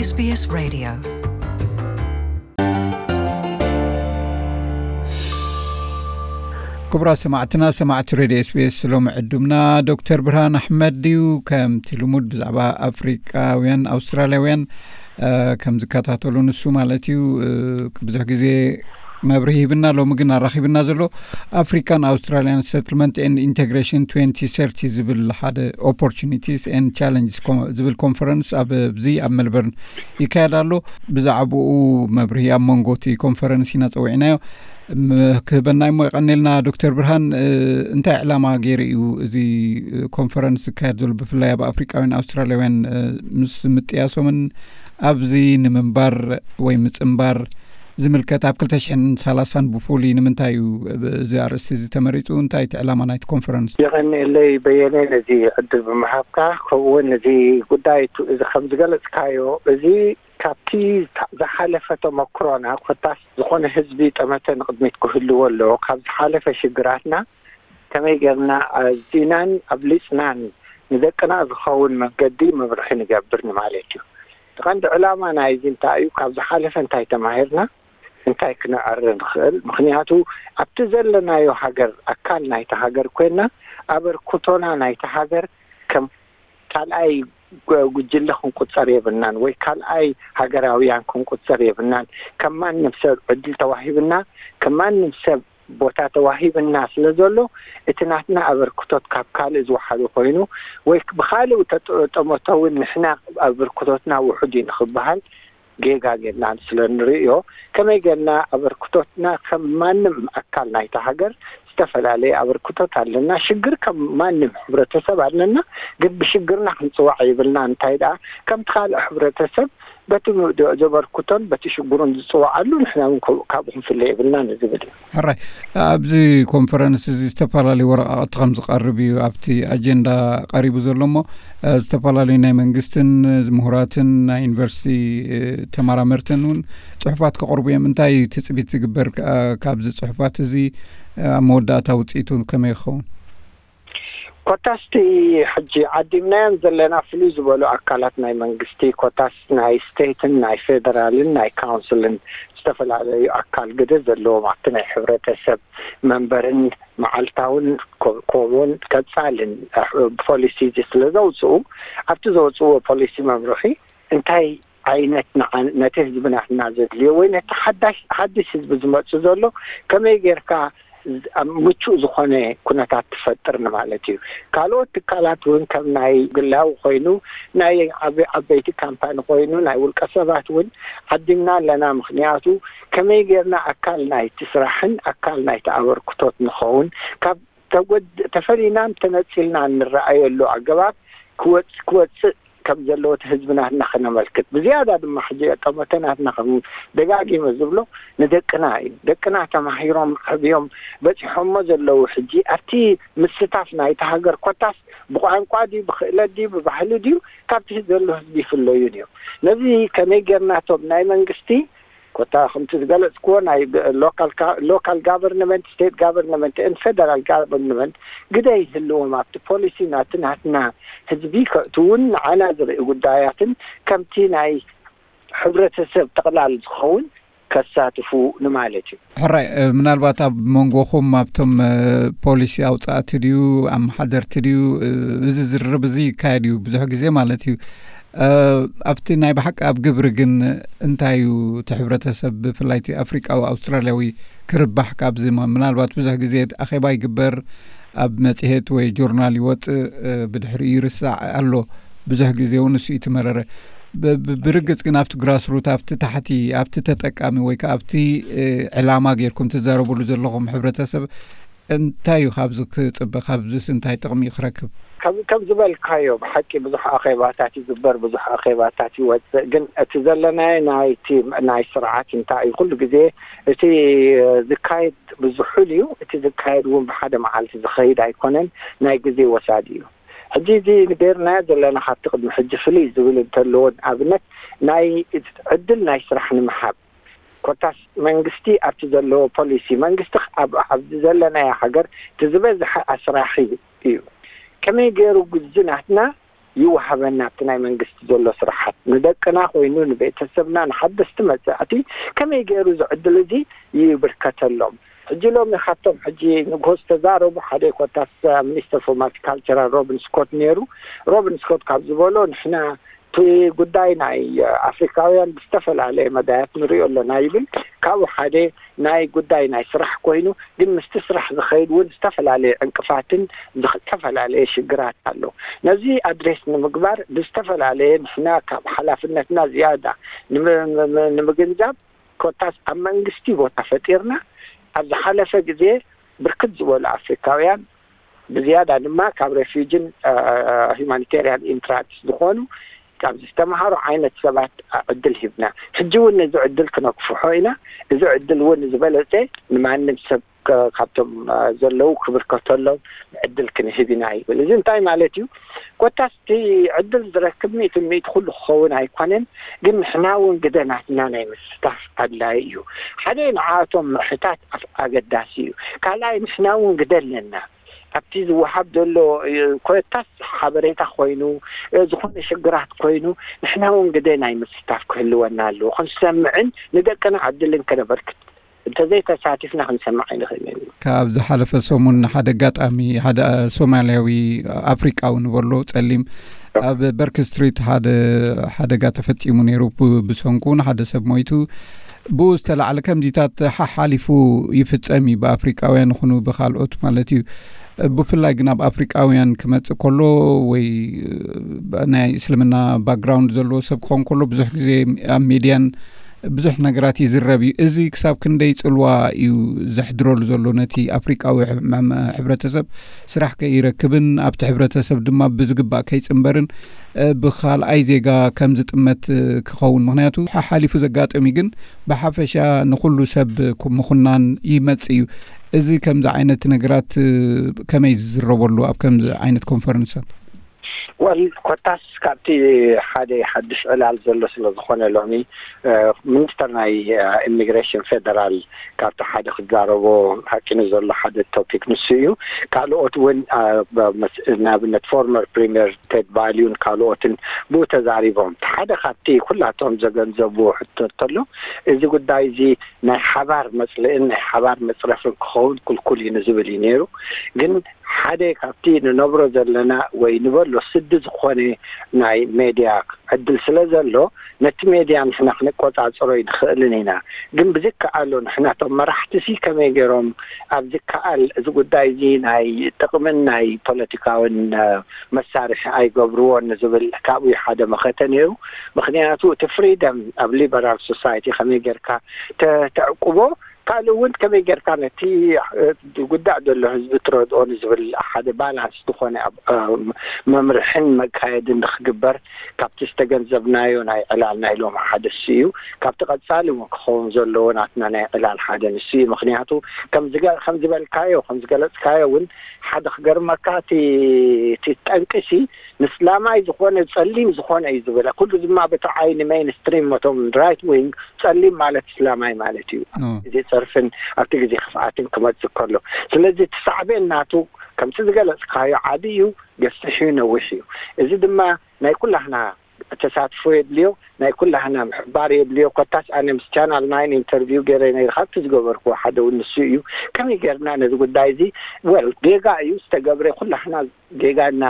SBS Radio. ክቡራት ሰማዕትና፣ ሰማዕቲ ሬድዮ ኤስቢኤስ፣ ሎሚ ዕዱምና ዶክተር ብርሃን ኣሕመድ እዩ። ከምቲ ልሙድ ብዛዕባ ኣፍሪቃውያን ኣውስትራልያውያን፣ እ፣ ከም ዝከታተሉ ንሱ ማለት እዩ፣ እ፣ ብዙሕ ግዜ መብርሂ ሂብና። ሎሚ ግን ኣራኺብና ዘሎ ኣፍሪካን ኣውስትራልያን ሰትልመንት ኤንድ ኢንቴግሬሽን ትዌንቲ ሰርቲ ዝብል ሓደ ኦፖርቹኒቲስ ኤንድ ቻለንጅስ ኮ-፣ ዝብል ኮንፈረንስ ኣብ፣ ኣብዚ ኣብ ሜልበርን ይካየድ ኣሎ። ብዛዕባኡ መብርሂ ኣብ መንጎ እቲ ኮንፈረንስ ኢና ጸዊዕናዮ። ም-፣ ክህበና እሞ የቐኔልና ዶክተር ብርሃን፣ እ፣ እንታይ ዕላማ ገይሩ እዩ እዚ ኮንፈረንስ ዝካየድ ዘሎ፣ ብፍላይ ኣብ ኣፍሪቃውያን ኣውስትራልያውያን፣ እ፣ ምስ ምጥያሶምን ኣብዚ ንምንባር ወይ ምጽንባር ዝምልከት ኣብ ክልተ ሽሕን ሰላሳን ብፍሉይ ንምንታይ እዩ እዚ ኣርእስቲ እዚ ተመሪጹ? እንታይ እቲ ዕላማ ናይቲ ኮንፈረንስ? የቐንየለይ በየነ ነዚ ዕድል ብምሃብካ፣ ከምኡ እውን ነዚ ጉዳይ ቱ-፣ እዚ ከም ዝገለጽካዮ፣ እዚ ካብቲ ዝሓለፈ ተመክሮና ኮታስ ዝኾነ ህዝቢ ጠመተ ንቕድሚት ክህልዎ ኣለዎ። ካብ ዝሓለፈ ሽግራትና ከመይ ጌርና ኣዚናን ኣብሊጽናን ንደቅና ዝኸውን መንገዲ መምርሒ ንገብር ንማለት እዩ። እቲ ቀንዲ ዕላማ ናይዚ እንታይ እዩ? ካብ ዝሓለፈ እንታይ ተማሂርና? እንታይ ክንዕሪ ንኽእል? ምኽንያቱ ኣብቲ ዘለናዮ ሃገር ኣካል ናይቲ ሃገር ኮይና ኣበርክቶና ናይቲ ሃገር ከም ካልኣይ ጉ-፣ ጉጅለ ክንቁጸር የብልናን፣ ወይ ካልኣይ ሃገራውያን ክንቁጸር የብልናን። ከም ማንም ሰብ ዕድል ተዋሂብና፣ ከም ማንም ሰብ ቦታ ተዋሂብና ስለ ዘሎ፣ እቲ ናትና ኣበርክቶት ካብ ካልእ ዝወሓደ ኮይኑ፣ ወይ ብኻልእ ተጠ-፣ ጠመቶ እውን ንሕና ኣበርክቶትና ውሑድ እዩ ንኽበሃል ጌጋ ጌርና ስለ ንርእዮ፣ ከመይ ጌርና ኣበርክቶትና ከም ማንም ኣካል ናይታ ሃገር ዝተፈላለየ ኣበርክቶት ኣለና። ሽግር ከም ማንም ሕብረተሰብ ኣለና፣ ግን ብሽግርና ክንጽዋዕ ይብልና። እንታይ ደኣ፣ ከምቲ ካልእ ሕብረተሰብ በቲ ም-፣ ዘበርክቶን በቲ ሽግሩን ዝጽዋዓሉ፣ ንሕና እውን ከ-፣ ካብኡ ክንፍለ የብልናን ዝብል እዩ። ሕራይ፣ ኣብዚ ኮንፈረንስ እዚ ዝተፈላለዩ ወረቓቕቲ ከም ዝቐርብ እዩ ኣብቲ ኣጀንዳ ቀሪቡ ዘሎ እሞ፣ እ፣ ዝተፈላለዩ ናይ መንግስትን ምሁራትን ናይ ዩኒቨርሲቲ፣ እ፣ ተመራመርትን እውን ጽሑፋት ከቕርቡ እዮም። እንታይ እዩ ትጽቢት ዝግበር፣ እ፣ ካብዚ ጽሑፋት እዚ፣ እ፣ ኣብ መወዳእታ ውጽኢቱ ከመይ ይኸውን? ኮታስቲ ሕጂ ዓዲምናዮም ዘለና ፍሉይ ዝበሉ ኣካላት ናይ መንግስቲ፣ ኮታስ ናይ ስቴትን ናይ ፌደራልን ናይ ካውንስልን ዝተፈላለዩ ኣካል ግደ ዘለዎም ኣብቲ ናይ ሕብረተሰብ መንበርን መዓልታውን ኮ-፣ ከምኡውን ቀጻልን ፖሊሲ ስለ ዘውፅኡ፣ ኣብቲ ዘውፅእዎ ፖሊሲ መምርሒ እንታይ ዓይነት ንዓ-፣ ነቲ ህዝቢ ናትና ዘድልዮ ወይ ነቲ ሓዳሽ፣ ሓድሽ ህዝቢ ዝመጽእ ዘሎ ከመይ ጌርካ ዝ-፣ ኣብ ምቹእ ዝኾነ ኩነታት ትፈጥር ንማለት እዩ። ካልኦት ትካላት እውን ከም ናይ ግላዊ ኮይኑ፣ ናይ ዓበ-፣ ዓበይቲ ካምፓኒ ኮይኑ፣ ናይ ውልቀ ሰባት እውን ዓዲምና ኣለና። ምኽንያቱ ከመይ ጌርና ኣካል ናይቲ ስራሕን ኣካል ናይቲ ኣበርክቶት ንኸውን፣ ካብ ተጎድ-፣ ተፈሊናን ተነጺልናን ንረኣየሉ ኣገባብ ክወጽ-፣ ክወጽእ ከም ዘለዎ እቲ ህዝቢ ናትና ክነመልክት። ብዝያዳ ድማ ሕጂ ጠመተ ናትና ከም ደጋጊመ ዝብሎ ንደቅና እዩ። ደቅና ተማሂሮም፣ ዓብዮም፣ በጺሖሞ ዘለዉ ሕጂ ኣብቲ ምስታፍ ናይቲ ሃገር ኮታስ ብቋንቋ ድዩ፣ ብክእለት ድዩ፣ ብባህሊ ድዩ፣ ካብቲ ዘሎ ህዝቢ ይፍለዩን እዮም። ነዚ ከመይ ጌርናቶም ናይ መንግስቲ ኮታ ከምቲ ዝገለጽክዎ ናይ ብ-፣ ሎካል ካ-፣ ሎካል ጋቨርንመንት፣ ስቴት ጋቨርንመንት ኤንድ ፌደራል ጋቨርንመንት ግደ ይህልዎም ኣብቲ ፖሊሲ ናቲ ናትና ህዝቢ ከእትውን ንዓና ዝርኢ ጉዳያትን ከምቲ ናይ ሕብረተሰብ ጠቕላል ዝኸውን ከሳትፉ ንማለት እዩ። ሕራይ፣ እ፣ ምናልባት ኣብ መንጎኹም ኣብቶም፣ እ፣ ፖሊሲ ኣውጻእቲ ድዩ፣ ኣመሓደርቲ ድዩ፣ እ፣ እዚ ዝርርብ እዚ ይካየድ እዩ ብዙሕ ግዜ ማለት እዩ። እ፣ ኣብቲ ናይ ብሓቂ ኣብ ግብሪ ግን እንታይ እዩ እቲ ሕብረተሰብ ብፍላይ እቲ ኣፍሪቃዊ ኣውስትራልያዊ ክርባሕ ካብዚ? ም-፣ ምናልባት ብዙሕ ግዜ ኣኼባ ይግበር፣ ኣብ መጽሔት ወይ ጆርናል ይወጽእ፣ እ፣ ብድሕሪኡ ይርሳዕ ኣሎ። ብዙሕ ግዜ እውን እሱ እዩ እቲ መረረ። ብ-፣ ብ-፣ ብርግጽ ግን ኣብቲ ግራስሩት፣ ኣብቲ ታሕቲ፣ ኣብቲ ተጠቃሚ ወይ ከኣ ኣብቲ፣ እ፣ ዕላማ ጌርኩም ትዛረብሉ ዘለኹም ሕብረተሰብ እንታይ እዩ ካብዚ ክጽበ? ካብዚስ እንታይ ጥቕሚ እዩ ክረክብ? ከም፣ ከም ዝበልካዮ ብሓቂ ብዙሕ ኣኼባታት ይግበር፣ ብዙሕ ኣኼባታት ይወጽእ። ግን እቲ ዘለናዮ ናይቲ፣ ናይ ስርዓት እንታይ እዩ፣ ኩሉ ግዜ እቲ ዝካየድ ብዙሑል እዩ። እቲ ዝካየድ እውን ብሓደ መዓልቲ ዝኸይድ ኣይኮነን፣ ናይ ግዜ ወሳዲ እዩ። ሕጂ እዚ ንገርናዮ ዘለና ካብቲ ቅድሚ ሕጂ ፍልይ ዝብል እንተለዎ፣ ንኣብነት ናይ ዕድል ናይ ስራሕ ንምሃብ፣ ኮታስ መንግስቲ ኣብቲ ዘለዎ ፖሊሲ፣ መንግስቲ ኣብ፣ ኣብዚ ዘለናዮ ሃገር እቲ ዝበዝሐ ኣስራሒ እዩ። ከመይ ገይሩ ግዚ ናትና ይወሃበና ኣብቲ ናይ መንግስቲ ዘሎ ስራሓት ንደቅና ኮይኑ ንቤተሰብና ንሓደስቲ መጻእቲ ከመይ ገይሩ እዚ ዕድል እዚ ይብርከተሎም። ሕጂ ሎሚ ካብቶም ሕጂ ንግሆ ዝተዛረቡ ሓደ ኮታስ ሚኒስተር ፎር ማልቲካልቸራል ሮቢን ስኮት ነይሩ። ሮቢን ስኮት ካብ ዝበሎ ንሕና እቲ ጉዳይ ናይ ኣፍሪካውያን ብዝተፈላለየ መዳያት ንሪኦ ኣለና ይብል። ካብኡ ሓደ ናይ ጉዳይ ናይ ስራሕ ኮይኑ ግን ምስቲ ስራሕ ዝኸይድ እውን ዝተፈላለየ ዕንቅፋትን ዝተፈላለየ ሽግራት ኣሎ። ነዚ ኣድሬስ ንምግባር ብዝተፈላለየ ንሕና ካብ ሓላፍነትና ዝያዳ ንምግንዛብ ኮታስ ኣብ መንግስቲ ቦታ ፈጢርና ኣብ ዝሓለፈ ግዜ ብርክት ዝበሉ ኣፍሪካውያን ብዝያዳ ድማ ካብ ሬፊጅን ሂማኒቴሪያን ኢንትራክስ ዝኾኑ ካብ ዝተምሃሩ ዓይነት ሰባት ዕድል ሂብና። ሕጂ እውን ነዚ ዕድል ክነክፍሖ ኢና። እዚ ዕድል እውን ዝበለፀ ንማንም ሰብ ካብቶም ዘለዉ ክብርከተሎም ዕድል ክንህብ ኢና ይብል። እዚ እንታይ ማለት እዩ? ኮታስ እቲ ዕድል ዝረክብ ሚእቲ ሚእቲ ኩሉ ክኸውን ኣይኮነን፣ ግን ንሕና እውን ግደ ናትና ናይ ምስታፍ ኣድላይ እዩ። ሓደ ንዓቶም ምሕታት ኣገዳሲ እዩ። ካልኣይ ንሕና እውን ግደ ኣለና። ኣብቲ ዝወሃብ ዘሎ ኮታስ ሓበሬታ ኮይኑ ዝኾነ ሽግራት ኮይኑ ንሕና እውን ግደ ናይ ምስታፍ ክህልወና ኣለዎ። ክንሰምዕን ንደቅና ዕድልን ከነበርክት እንተዘይተሳቲፍና ክንሰምዕ ኣይንኽእልን። ካብ ዝሓለፈ ሰሙን ሓደ ኣጋጣሚ ሓደ ሶማልያዊ ኣፍሪቃዊ ንበሎ ጸሊም ኣብ በርክ ስትሪት ሓደ ሓደጋ ተፈጺሙ ነይሩ። ብሰንኩ ንሓደ ሰብ ሞይቱ። ብኡ ዝተላዕለ ከምዚታት ሓሓሊፉ ይፍጸም እዩ ብኣፍሪቃውያን ይኹኑ ብካልኦት ማለት እዩ። ብፍላይ ግን ኣብ ኣፍሪቃውያን ክመጽእ ከሎ ወይ ናይ እስልምና ባክግራውንድ ዘለዎ ሰብ ክኸውን ከሎ ብዙሕ ግዜ ኣብ ሜድያን ብዙሕ ነገራት ይዝረብ እዩ። እዚ ክሳብ ክንደይ ጽልዋ እዩ ዘሕድረሉ ዘሎ ነቲ ኣፍሪቃዊ ሕብረተሰብ ስራሕ ከይረክብን ኣብቲ ሕብረተሰብ ድማ ብዝግባእ ከይጽንበርን ብካልኣይ ዜጋ ከም ዝጥመት ክኸውን ምክንያቱ ሓሓሊፉ ዘጋጠሚ ግን ብሓፈሻ ንኩሉ ሰብ ምኹናን ይመጽእ እዩ። እዚ ከምዚ ዓይነት ነገራት ከመይ ዝዝረበሉ ኣብ ከምዚ ዓይነት ኮንፈረንሳት? ወል ኮታስ ካብቲ ሓደ ሓድሽ ዕላል ዘሎ ስለ ዝኾነ ሎሚ ሚኒስተር ናይ ኢሚግሬሽን ፌደራል ካብቲ ሓደ ክዛረቦ ሓቂኑ ዘሎ ሓደ ቶፒክ ንሱ እዩ። ካልኦት እውን ንኣብነት ፎርመር ፕሪሚየር ቴድ ባሊዩን ካልኦትን ብኡ ተዛሪቦም። ሓደ ካብቲ ኩላቶም ዘገንዘብዎ ሕቶ እንተሎ እዚ ጉዳይ እዚ ናይ ሓባር መፅልእን ናይ ሓባር መፅረፍን ክኸውን ክልኩል እዩ ንዝብል እዩ ነይሩ። ግን ሓደ ካብቲ ንነብሮ ዘለና ወይ ንበሎ ስዲ ዝኾነ ናይ ሜድያ ዕድል ስለ ዘሎ ነቲ ሜድያ ንሕና ክንቆፃፀሮ ይንኽእልን ኢና። ግን ብዝከኣሎ ንሕናቶም መራሕቲ ሲ ከመይ ገይሮም ኣብ ዝከኣል እዚ ጉዳይ እዚ ናይ ጥቕምን ናይ ፖለቲካውን መሳርሒ ኣይገብርዎን ንዝብል ካብኡ ሓደ መኸተ ነይሩ። ምክንያቱ እቲ ፍሪደም ኣብ ሊበራል ሶሳይቲ ከመይ ጌርካ ተዕቁቦ ካልእ እውን ከመይ ጌርካ ነቲ ዝጉዳእ ዘሎ ህዝቢ ትረድኦ ንዝብል ሓደ ባላንስ ዝኾነ መምርሕን መካየድን ንክግበር ካብቲ ዝተገንዘብናዮ ናይ ዕላል ናይ ሎም ሓደ እሱ እዩ። ካብቲ ቀፃሊ እውን ክኸውን ዘለዎ ናትና ናይ ዕላል ሓደ ንሱ እዩ። ምክንያቱ ከምዝበልካዮ ከምዝገለፅካዮ እውን ሓደ ክገርመካ እቲ ጠንቅሲ ንስላማይ ዝኾነ ጸሊም ዝኾነ እዩ ዝበለ ኩሉ ድማ በቲ ዓይኒ ሜይንስትሪም መቶም ራይት ዊንግ ጸሊም ማለት እስላማይ ማለት እዩ። ግዜ ጸርፍን ኣብቲ ግዜ ክፍኣትን ክመጽእ ከሎ ስለዚ እቲ ሳዕቤን ናቱ ከምቲ ዝገለጽካዮ ዓቢ እዩ፣ ገፊሕ እዩ፣ ነዊሕ እዩ። እዚ ድማ ናይ ኩላህና ተሳትፎ የድልዮ፣ ናይ ኩላህና ምሕባር የድልዮ። ኮታስ ኣነ ምስ ቻናል ናይን ኢንተርቪው ገይረ ነይረ ካብቲ ዝገበርክዎ ሓደ እውን ንሱ እዩ። ከመይ ገይርና ነዚ ጉዳይ እዚ ወል ጌጋ እዩ ዝተገብረ ኩላህና ጌጋ እና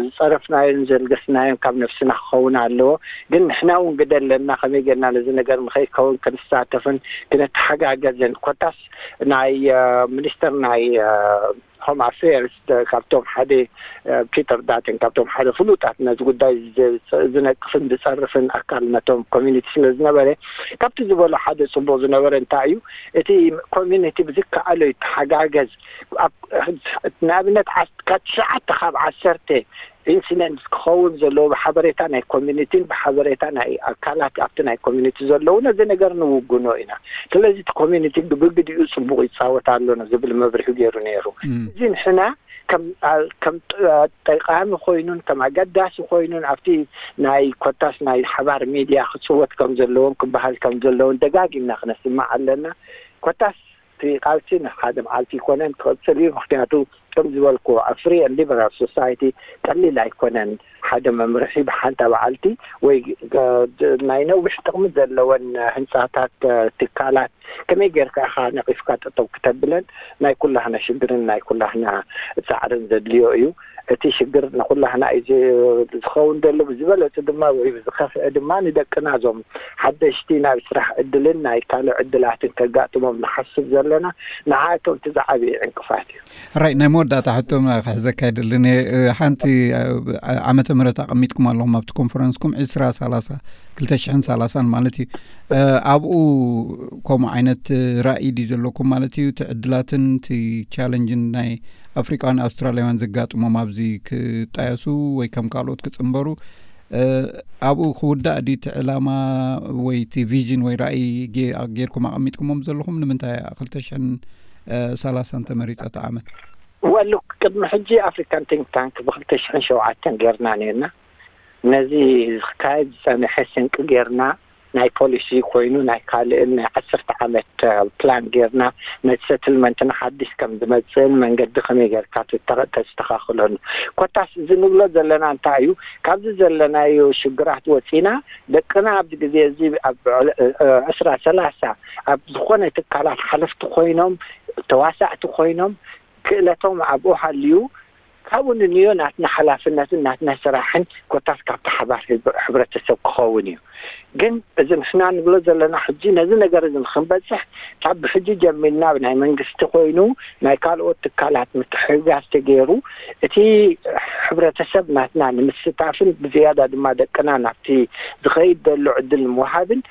ዝፀረፍናዮን ዘልገስናዮን ካብ ነፍስና ክኸውን ኣለዎ። ግን ንሕና እውን ግደ ኣለና ከመይ ጌርና ነዚ ነገር ንኸይከውን ክንሳተፍን ክነተሓጋገዝን ኮታስ ናይ ሚኒስተር ናይ ሆም ኣፌርስ ካብቶም ሓደ ፒተር ዳትን ካብቶም ሓደ ፍሉጣት ነዚ ጉዳይ ዝነቅፍን ዝፀርፍን ኣካል ነቶም ኮሚኒቲ ስለ ዝነበረ ካብቲ ዝበሎ ሓደ ፅቡቅ ዝነበረ እንታይ እዩ እቲ ኮሚኒቲ ብዝከኣሎ ይተሓጋገዝ። ንኣብነት ካብ ትሽዓተ ካብ ዓሰርተ ኢንሲደንትስ ክኸውን ዘለዎ ብሓበሬታ ናይ ኮሚኒቲን ብሓበሬታ ናይ ኣካላት ኣብቲ ናይ ኮሚኒቲ ዘለዉ ነዚ ነገር ንውግኖ ኢና። ስለዚ እቲ ኮሚኒቲ ብግዲኡ ፅቡቕ ይፃወት ኣሎ ዝብል መብርሂ ገይሩ ነይሩ። እዚ ንሕና ከም ጠቃሚ ኮይኑን ከም ኣገዳሲ ኮይኑን ኣብቲ ናይ ኮታስ ናይ ሓባር ሚድያ ክፅወት ከም ዘለዎም ክበሃል ከም ዘለውን ደጋጊምና ክነስምዕ ኣለና። ኮታስ እቲ ቃልሲ ንሓደ መዓልቲ ይኮነን ክቕፅል እዩ። ምክንያቱ ከም ዝበልኩ ኣብ ፍሪ ኤንድ ሊበራል ሶሳይቲ ቀሊል ኣይኮነን። ሓደ መምርሒ ብሓንታ በዓልቲ ወይ ናይ ነዊሕ ጥቕሚ ዘለወን ህንፃታት፣ ትካላት ከመይ ጌርካ ኢኻ ነቒፍካ ጠጠው ክተብለን ናይ ኩላህና ሽግርን ናይ ኩላህና ፃዕርን ዘድልዮ እዩ። እቲ ሽግር ንኩላህና እዩ ዝኸውን ዘሎ። ብዝበለፁ ድማ ወይ ብዝኸፍአ ድማ ንደቅና እዞም ሓደሽቲ ናብ ስራሕ ዕድልን ናይ ካልእ ዕድላትን ከጋጥሞም ንሓስብ ዘለና ንዓቶም እቲ ዝዓበየ ዕንቅፋት እዩ። ራይ ናይ መወዳእታ ሕቶ ክሕዘካ ይደልን እየ። ሓንቲ ዓመተ ምህረት ኣቐሚጥኩም ኣለኹም ኣብቲ ኮንፈረንስኩም ዕስራ ሰላሳ ክልተ ሽሕን ሰላሳን ማለት እዩ። ኣብኡ ከምኡ ዓይነት ራእይ ድዩ ዘለኩም ማለት እዩ? እቲ ዕድላትን እቲ ቻለንጅን ናይ ኣፍሪቃውያን ኣውስትራሊያውያን ዘጋጥሞም ኣብዚ ክጣየሱ ወይ ከም ካልኦት ክጽንበሩ ኣብኡ ክውዳእ ድዩ እቲ ዕላማ ወይ እቲ ቪዥን ወይ ራእይ ጌርኩም ኣቐሚጥኩሞም ዘለኹም? ንምንታይ ክልተ ሽሕን ሰላሳን ተመሪፀ እቲ ዓመት? ወሉ ቅድሚ ሕጂ ኣፍሪካን ቲንክ ታንክ ብክልተ ሽሕን ሸውዓተን ጌርና ነርና። ነዚ ክካየድ ዝፀንሐ ስንቂ ጌርና ናይ ፖሊሲ ኮይኑ ናይ ካልእን ናይ ዓሰርተ ዓመት ፕላን ጌርና ነቲ ሰትልመንትና ሓዲስ ከም ዝመፅእን መንገዲ ከመይ ጌርካ ተስተኻኽሎን። ኮታስ እዚ ንብሎ ዘለና እንታይ እዩ? ካብዚ ዘለናዮ ሽግራት ወፂና ደቅና ኣብዚ ግዜ እዚ ኣብ ዕስራ ሰላሳ ኣብ ዝኾነ ትካላት ሓለፍቲ ኮይኖም ተዋሳእቲ ኮይኖም ክእለቶም ኣብኡ ሃልዩ ካብኡ ንንዮ ናትና ሓላፍነትን ናትና ስራሕን ኮታስ ካብቲ ሓባር ህዝቢ ሕብረተሰብ ክኸውን እዩ። ግን እዚ ንሕና ንብሎ ዘለና ሕጂ ነዚ ነገር እዚ ንክንበፅሕ ካብ ብሕጂ ጀሚርና ብናይ መንግስቲ ኮይኑ ናይ ካልኦት ትካላት ምትሕግጋዝ ተገይሩ እቲ ሕብረተሰብ ናትና ንምስታፍን ብዝያዳ ድማ ደቅና ናብቲ ዝኸይድ ዘሎ ዕድል ንምውሃብን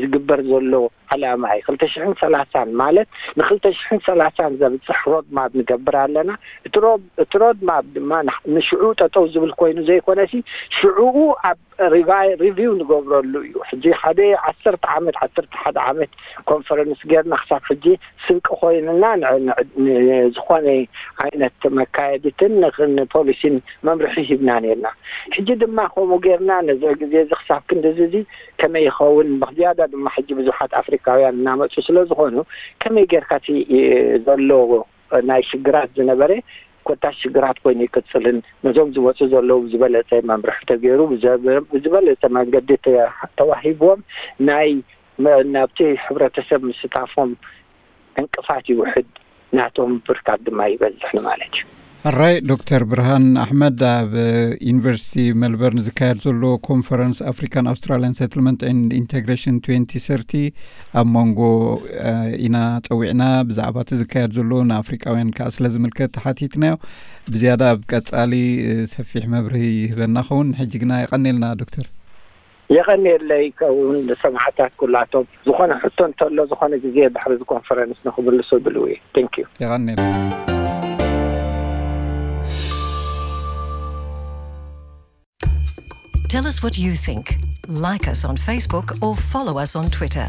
ዝግበር ዘሎ ዓላማ እዩ። ክልተ ሽሕን ሰላሳን ማለት ንክልተ ሽሕን ሰላሳን ዘብፅሕ ሮድማፕ ንገብር ኣለና። እቲ ሮድማፕ ድማ ንሽዑ ጠጠው ዝብል ኮይኑ ዘይኮነሲ ሽዑኡ ኣብ ሪቪው ንገብረሉ እዩ። ሕጂ ሓደ ዓሰርተ ዓመት ዓሰርተ ሓደ ዓመት ኮንፈረንስ ጌርና ክሳብ ሕጂ ስንቂ ኮይንና ዝኾነ ዓይነት መካየድትን ንፖሊሲን መምርሒ ሂብና ነርና። ሕጂ ድማ ከምኡ ጌርና ነዚ ግዜ እዚ ክሳብ ክንዲ እዚ ከመይ ይኸውን ብዝያዳ ድማ ሕጂ ብዙሓት ኣፍሪካውያን እናመፁ ስለዝኾኑ ከመይ ጌርካ እቲ ዘሎ ናይ ሽግራት ዝነበረ ኮታስ ሽግራት ኮይኑ ይቅፅልን ነዞም ዝመፁ ዘለዉ ብዝበለፀ መምርሒ ተገይሩ ብዝበለፀ መንገዲ ተዋሂብዎም ናይ ናብቲ ሕብረተሰብ ምስታፎም ዕንቅፋት ይውሕድ ናቶም ብርካት ድማ ይበዝሕ ንማለት እዩ። ሕራይ ዶክተር ብርሃን ኣሕመድ ኣብ ዩኒቨርሲቲ ሜልበርን ዝካየድ ዘሎ ኮንፈረንስ ኣፍሪካን ኣውስትራሊያን ሰትልመንት ኤንድ ኢንቴግሬሽን ትዌንቲ ሰርቲ ኣብ መንጎ ኢና ፀዊዕና ብዛዕባ እቲ ዝካየድ ዘሎ ንኣፍሪቃውያን ከዓ ስለ ዝምልከት ተሓቲትናዮ። ብዝያዳ ኣብ ቀፃሊ ሰፊሕ መብርሂ ይህበና ኸውን። ሕጂ ግና የቐኔልና ዶክተር። የቐኔለይ ከውን ንሰማዕታት ኩላቶም ዝኾነ ሕቶ እንተሎ ዝኾነ ግዜ ድሕሪ እዚ ኮንፈረንስ ንክምልሶ ድልው እዩ። Thank you። የቐኔልና። Tell us what you think. Like us on Facebook or follow us on Twitter.